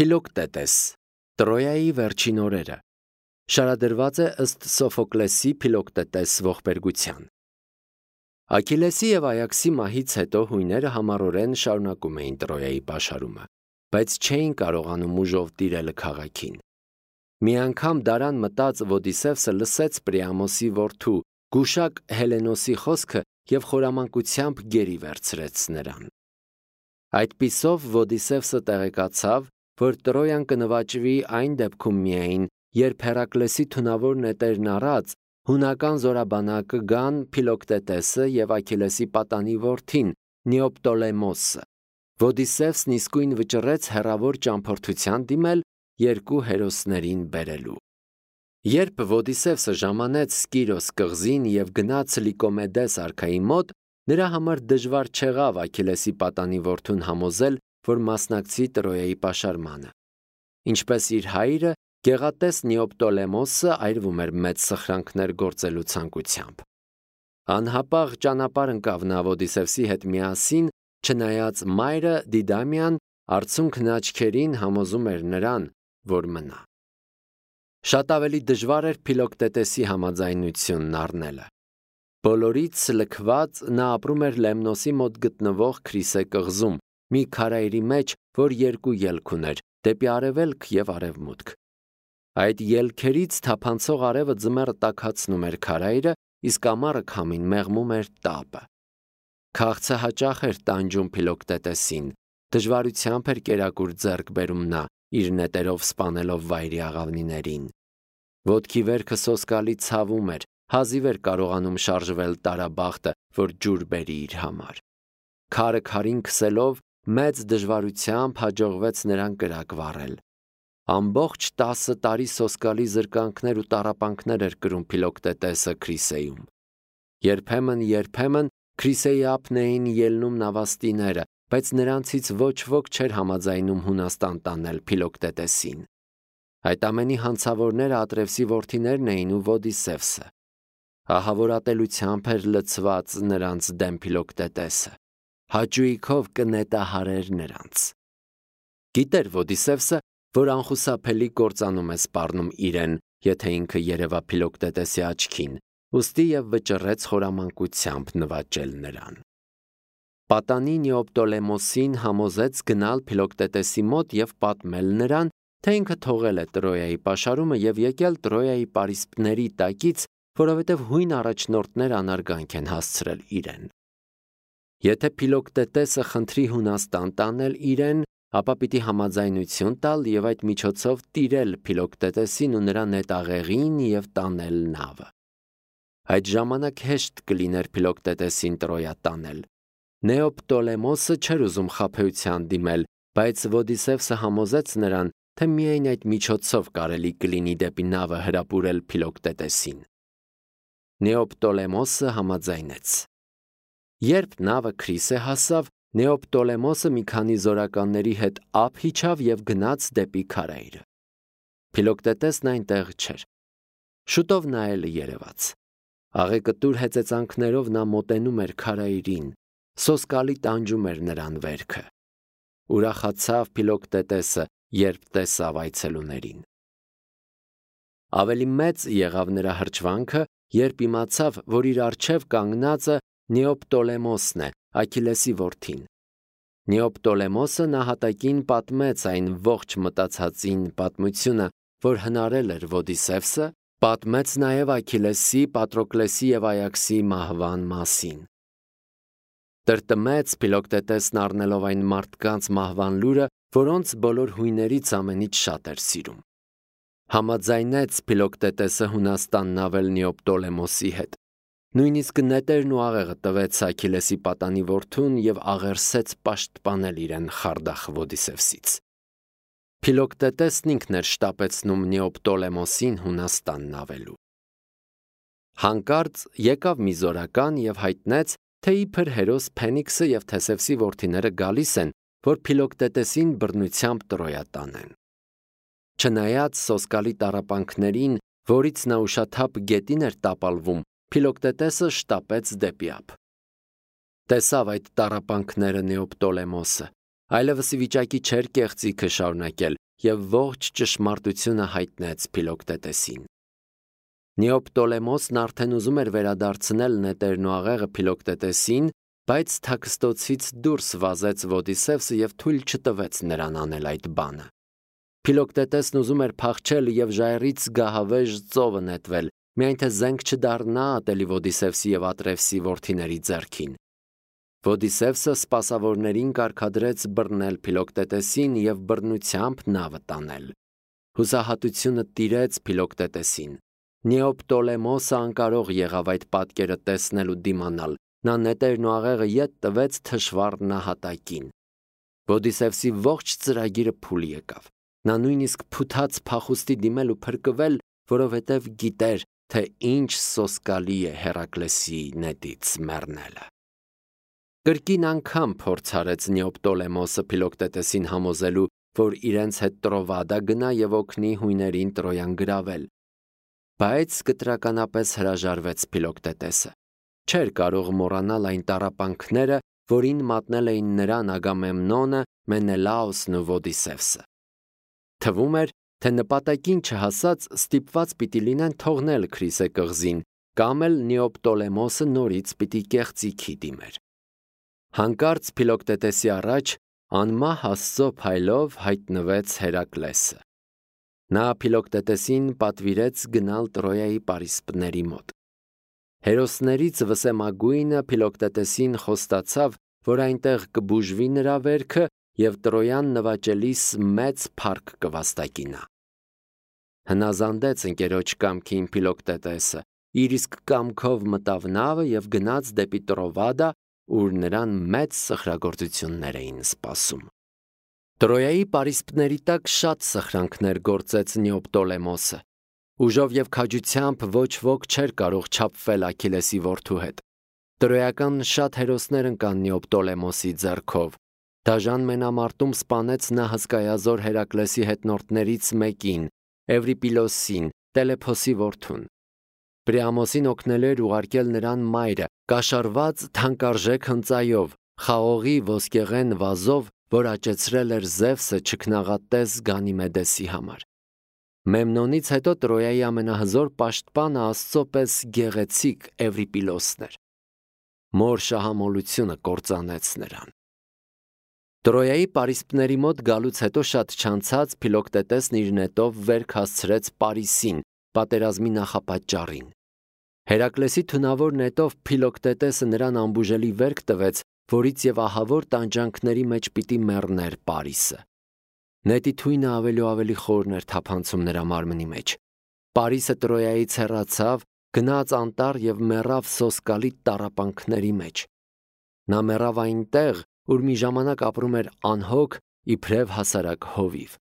Փիլոկտետես, Տրոյայի վերջին օրերը, շարադրված է ըստ Սոֆոկլեսի Փիլոկտետես ողբերգության։ Աքիլեսի և Այաքսի մահից հետո հույները համառորեն շարունակում էին Տրոյայի պաշարումը, բայց չէին կարողանում ուժով տիրել քաղաքին։ Մի անգամ դարան մտած Ոդիսևսը լսեց Պրիամոսի որդու գուշակ Հելենոսի խոսքը և խորամանկությամբ գերի վերցրեց նրան։ Այդպիսով Ոդիսևսը տեղեկացավ, որ Տրոյան կնվաճվի այն դեպքում միայն, երբ Հերակլեսի թունավոր նետերն առած հունական զորաբանակը գան Փիլոկտետեսը և Աքիլեսի պատանի որդին Նեոպտոլեմոսը։ Ոդիսևսն իսկույն վճռեց հեռավոր ճամփորդության դիմել երկու հերոսներին բերելու։ Երբ Ոդիսևսը ժամանեց Սկիրոս կղզին և գնաց Լիկոմեդես արքայի մոտ, նրա համար դժվար չեղավ Աքիլեսի պատանի որդուն համոզել, որ մասնակցի Տրոյայի պաշարմանը։ Ինչպես իր հայրը, գեղատես Նեոպտոլեմոսը այրվում էր մեծ սխրանքներ գործելու ցանկությամբ։ Անհապաղ ճանապարհ ընկավ նա Ոդիսևսի հետ միասին, չնայած մայրը Դիդամիան արցունքն աչքերին համոզում էր նրան, որ մնա։ Շատ ավելի դժվար էր Փիլոկտետեսի համաձայնությունն առնելը։ Բոլորից լքված նա ապրում էր Լեմնոսի մոտ գտնվող Քրիսե կղզում, մի քարայրի մեջ, որ երկու ելք ուներ՝ դեպի արևելք և արևմուտք։ Այդ ելքերից թափանցող արևը ձմեռը տաքացնում էր քարայրը, իսկ ամառը քամին մեղմում էր տապը։ Քաղցը հաճախ էր տանջում Փիլոկտետեսին, դժվարությամբ էր կերակուր ձեռք բերում նա, իր նետերով սպանելով վայրի աղավնիներին։ Ոտքի վերքը սոսկալի ցավում էր, հազիվ էր կարողանում շարժվել տարաբախտը, որ ջուր բերի իր համար։ Քարը քարին քսելով մեծ դժվարությամբ հաջողվեց նրան կրակ վառել։ Ամբողջ 10 տարի սոսկալի զրկանքներ ու տառապանքներ էր կրում Փիլոկտետեսը Քրիսեում։ Երբեմն Քրիսեի ափն էին ելնում նավաստիները, բայց նրանցից ոչ ոք չէր համաձայնում Հունաստան տանել Փիլոկտետեսին։ Այդ ամենի հանցավորները Ատրևսի որդիներն էին ու Ոդիսևսը։ Ահավոր ատելությամբ էր լցված նրանց դեմ Փիլոկտետեսը, հաճույքով կնետահարեր նրանց։ Գիտեր Ոդիսևսը, որ անխուսափելի կործանում է սպառնում իրեն, եթե ինքը երևա Փիլոկտետեսի աչքին, ուստի և վճռեց խորամանկությամբ նվաճել նրան։ Պատանի Նեոպտոլեմոսին համոզեց գնալ Փիլոկտետեսի մոտ և պատմել նրան, թե ինքը թողել է Տրոյայի պաշարումը և եկել Տրոյայի պարիսպների տակից, որովհետև հույն առաջնորդներ անարգանք են հասցրել իրեն։ Եթե Փիլոկտետեսը խնդրի Հունաստան տանել իրեն, ապա պիտի համաձայնություն տալ և այդ միջոցով տիրել Փիլոկտետեսին ու նրա նետաղեղին և տանել նավը։ Այդ ժամանակ հեշտ կլիներ Փիլոկտետեսին Տրոյա տանել։ Նեոպտոլեմոսը չէր ուզում խաբեության դիմել, բայց Ոդիսևսը համոզեց նրան, թե միայն այդ միջոցով կարելի կլինի դեպի նավը հրապուրել Փիլոկտետեսին։ Նեոպտոլեմոսը համաձայնեց։ Երբ նավը Քրիսե հասավ, Նեոպտոլեմոսը մի քանի զորականների հետ ափ իջավ և գնաց դեպի քարայրը։ Փիլոկտետեսն այնտեղ չէր։ Շուտով նա էլ երևաց։ Աղեկտուր հեծեծանքներով նա մոտենում էր քարայրին, սոսկալի տանջում էր նրան վերքը։ Ուրախացավ Փիլոկտետեսը, երբ տեսավ այցելուներին։ Ավելի մեծ եղավ նրա հրճվանքը, երբ իմացավ, որ իր առջև կանգնածը Նեոպտոլեմոսն է, Աքիլեսի որդին։ Նեոպտոլեմոսը նահատակին պատմեց այն ողջ մտածածին պատմությունը, որ հնարել էր Ոդիսևսը, պատմեց նաև Աքիլեսի, Պատրոկլեսի և Այաքսի մահվան մասին։ Տրտմեց Փիլոկտետեսն առնելով այն մարդկանց մահվան լուրը, որոնց բոլոր հույներից ամենից շատ էր սիրում։ Համաձայնեց Փիլոկտետեսը Հունաստանն ավել Նեոպտոլեմոսի հետ։ Նույնիսկ նետերն ու աղեղը տվեց Աքիլեսի պատանի որդուն և աղերսեց պաշտպանել իրեն խարդախ Ոդիսևսից։ Փիլոկտետեսն ինքն էր շտապեցնում Նեոպտոլեմոսին Հունաստանն ավելու։ Հանկարծ եկավ մի զորական և հայտնեց, թե իբր հերոս Փենիքսը և Թեսևսի որդիները գալիս են, որ Փիլոկտետեսին բռնությամբ Տրոյա տանեն։ Չնայած սոսկալի տառապանքներին, որից նա ուշաթափ գետին էր տապալվում, Փիլոկտետեսը շտապեց դեպի ափ։ Տեսավ այդ տառապանքները Նեոպտոլեմոսը, այլևս ի վիճակի չէր կեղծիքը շարունակել և ողջ ճշմարտությունը հայտնեց Փիլոկտետեսին։ Նեոպտոլեմոսն արդեն ուզում էր վերադարձնել նետերն ու աղեղը Փիլոկտետեսին, բայց թաքստոցից դուրս վազեց Ոդիսևսը և թույլ չտվեց նրան անել այդ բանը։ Փիլոկտետեսն ուզում էր փախչել և ժայռից գահավեժ ծովը նետվել, միայն թե զենք չդառնա ատելի Ոդիսևսի և Ատրևսի որդիների ձեռքին։ Ոդիսևսը սպասավորներին կարգադրեց բռնել Փիլոկտետեսին և բռնությամբ նավը տանել։ Հուսահատությունը տիրեց Փիլոկտետեսին։ Նեոպտոլեմոսը անկարող եղավ այդ պատկերը տեսնել ու դիմանալ, նա նետերն ու աղեղը ետ տվեց թշվառ նահատակին։ Ոդիսևսի ողջ ծրագիրը փուլ եկավ։ Նա նույնիսկ փութաց փախուստի դիմել ու փրկվել, որովհետև գիտեր, թե ինչ սոսկալի է Հերակլեսի նետից մեռնելը։ Կրկին անգամ փորձ արեց Նեոպտոլեմոսը Փիլոկտետեսին համոզելու, որ իրենց հետ Տրովադա գնա և օգնի հույներին Տրոյան գրավել։ Բայց կտրականապես հրաժարվեց Փիլոկտետեսը։ Չէր կարող մոռանալ այն տառապանքները, որին մատնել էին նրան Ագամեմնոնը, Մենելաոսն ու Ոդիսևսը։ Թվում էր, թե նպատակին չհասած ստիպված պիտի լինեն թողնել Քրիսե կղզին, կամ էլ Նեոպտոլեմոսը նորից պիտի կեղծիքի դիմեր։ Հանկարծ Փիլոկտետեսի առաջ անմահ Աստծո փայլով հայտնվեց Հերակլեսը։ Նա Փիլոկտետեսին պատվիրեց գնալ Տրոյայի պարիսպների մոտ։ Հերոսներից վսեմագույնը Փիլոկտետեսին խոստացավ, որ այնտեղ կբուժվի նրա վերքը և Տրոյան նվաճելիս մեծ փառք կվաստակի նա։ Հնազանդեց ընկերոջ կամքին Փիլոկտետեսը, իր իսկ կամքով մտավ նավը և գնաց դեպի Տրովադա, ուր նրան մեծ սխրագործություններ էին սպասում։ Տրոյայի պարիսպների տակ շատ սխրանքներ գործեց Նեոպտոլեմոսը։ Ուժով և քաջությամբ ոչ ոք չէր կարող չափվել Աքիլեսի որդու հետ։ Տրոյական շատ հերոսներ ընկան Նեոպտոլեմոսի ձեռքով։ Դաժան մենամարտում սպանեց նա հսկայազոր Հերակլեսի հետնորդներից մեկին, Էվրիպիլոսին, Տելեփոսի որդուն։ Պրիամոսին օգնելու էր ուղարկել նրան մայրը, կաշառված թանկարժեք հնծայով, խաղողի ոսկեղեն վազով, որ աճեցրել էր Զևսը չքնաղատես Գանիմեդեսի համար։ Մեմնոնից հետո Տրոյայի ամենահզոր պաշտպանը Աստծո պես գեղեցիկ Էվրիպիլոսն էր։ Մոր շահամոլությունը կործանեց նրան։ Տրոյայի պարիսպների մոտ գալուց հետո շատ չանցած Փիլոկտետեսն իր նետով վերք հասցրեց Պարիսին, պատերազմի նախապատճառին։ Հերակլեսի թունավոր նետով Փիլոկտետեսը նրան անբուժելի վերք տվեց, որից և ահավոր տանջանքների մեջ պիտի մեռներ Պարիսը։ Նետի թույնը ավելի ու ավելի խորն էր թափանցում նրա մարմնի մեջ։ Պարիսը Տրոյայից հեռացավ, գնաց անտառ և մեռավ սոսկալի տառապանքների մեջ։ Նա մեռավ այնտեղ, ուր մի ժամանակ ապրում էր անհոգ, իբրև հասարակ հովիվ։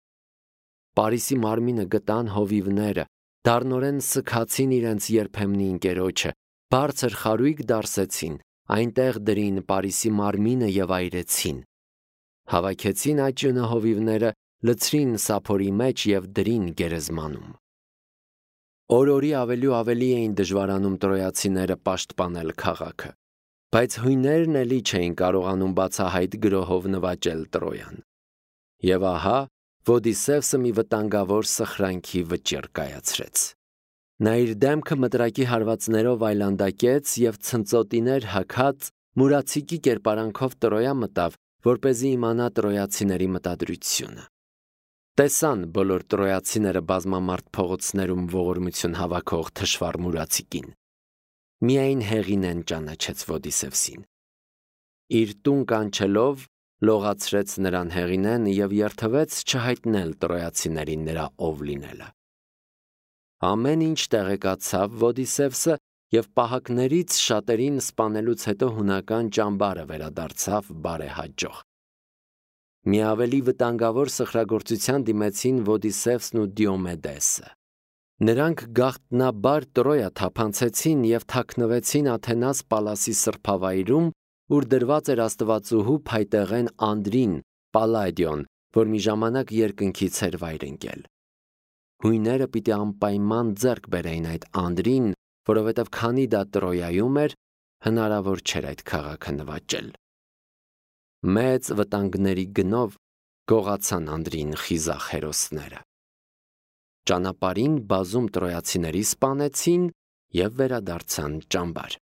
Պարիսի մարմինը գտան հովիվները, դառնորեն սգացին իրենց երբեմնի ընկերոջը, բարձր խարույկ դարսեցին, այնտեղ դրին Պարիսի մարմինը և այրեցին։ Հավաքեցին աճյունը հովիվները, լցրին սափորի մեջ և դրին գերեզմանում։ Օր-օրի ավելի ու ավելի էին դժվարանում տրոյացիները պաշտպանել քաղաքը, բայց հույներն էլի չէին կարողանում բացահայտ գրոհով նվաճել Տրոյան։ Եվ ահա Ոդիսևսը մի վտանգավոր սխրանքի վճիռ կայացրեց։ Նա իր դեմքը մտրակի հարվածներով այլանդակեց և ցնծոտիներ հագած մուրացիկի կերպարանքով Տրոյա մտավ, որպեսզի իմանա տրոյացիների մտադրությունը։ Տեսան բոլոր տրոյացիները բազմամարդ փողոցներում ողորմություն հավաքող թշվառ մուրացիկին։ Միայն Հեղինեն ճանաչեց Ոդիսևսին։ Իր տուն կանչելով լողացրեց նրան Հեղինեն և երդվեց չհայտնել տրոյացիներին նրա ով լինելը։ Ամեն ինչ տեղեկացավ Ոդիսևսը և պահակներից շատերին սպանելուց հետո հունական ճամբարը վերադարձավ բարեհաջող։ Մի ավելի վտանգավոր սխրագործության դիմեցին Ոդիսևսն ու Դիոմեդեսը։ Նրանք գաղտնաբար Տրոյա թափանցեցին և թաքնվեցին Աթենաս պալասի սրբավայրում, ուր դրված էր աստվածուհու փայտեղեն Անդրին, Պալադիոն, որ մի ժամանակ երկնքից էր վայր ընկել։ Հույները պիտի անպայման ձեռք բերեին այդ Անդրին, որովհետև քանի դա Տրոյայում էր, հնարավոր չէր այդ քաղաքը նվաճել։ Մեծ վտանգների գնով գողացան Անդրին խիզախ հերոսները։ Ճանապարհին բազում տրոյացիների սպանեցին և վերադարձան ճամբար։